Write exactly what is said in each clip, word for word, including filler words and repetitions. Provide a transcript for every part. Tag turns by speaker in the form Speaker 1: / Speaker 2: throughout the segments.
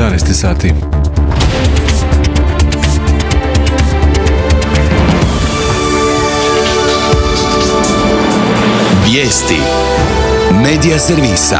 Speaker 1: jedanaest sati.
Speaker 2: Vijesti Medija servisa.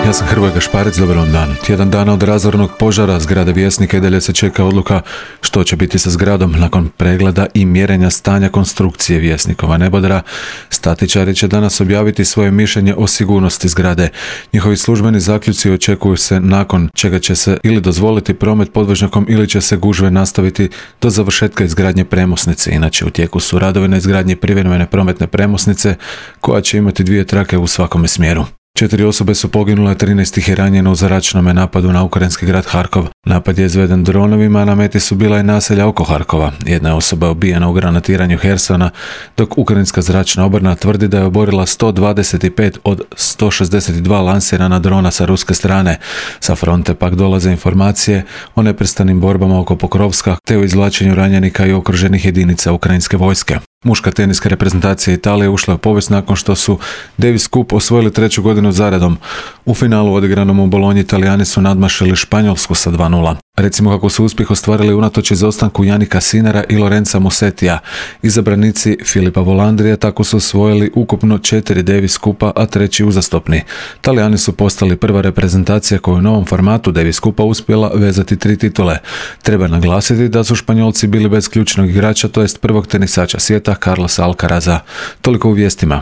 Speaker 1: Ja sam Hrvoje Gašparec, dobar vam dan. Tjedan dana od razornog požara zgrade Vjesnika i dalje se čeka odluka što će biti sa zgradom nakon pregleda i mjerenja stanja konstrukcije Vjesnikova nebodera. Statičari će danas objaviti svoje mišljenje o sigurnosti zgrade. Njihovi službeni zaključci očekuju se nakon čega će se ili dozvoliti promet podvožnjakom ili će se gužve nastaviti do završetka izgradnje premosnice. Inače u tijeku su radovi na izgradnji privremene prometne premosnice koja će imati dvije trake u svakome smjeru. Četiri osobe su poginule, trinaest ih je ranjeno u zračnom napadu na ukrajinski grad Harkov. Napad je izveden dronovima, a na meti su bila i naselja oko Harkova. Jedna je osoba ubijena u granatiranju Hersona, dok ukrajinska zračna obrana tvrdi da je oborila sto dvadeset pet od sto šezdeset dva lansirana drona sa ruske strane. Sa fronte pak dolaze informacije o neprestanim borbama oko Pokrovska te o izvlačenju ranjenika i okruženih jedinica ukrajinske vojske. Muška teniska reprezentacija Italije ušla u povijest nakon što su Davis Cup osvojili treću godinu zaredom. U finalu odigranom u Bolonji Italijani su nadmašili Španjolsku sa dva nula. Recimo kako su uspjeh ostvarili unatoč izostanku Janika Sinera i Lorenza Musetija. Izabranici Filipa Volandrija tako su osvojili ukupno četiri Davis Cupa, a treći uzastopni. Talijani su postali prva reprezentacija koja u novom formatu Davis Cupa uspjela vezati tri titule. Treba naglasiti da su Španjolci bili bez ključnog igrača, to jest prvog tenisača svijeta Carlosa Alcaraza. Toliko u vijestima.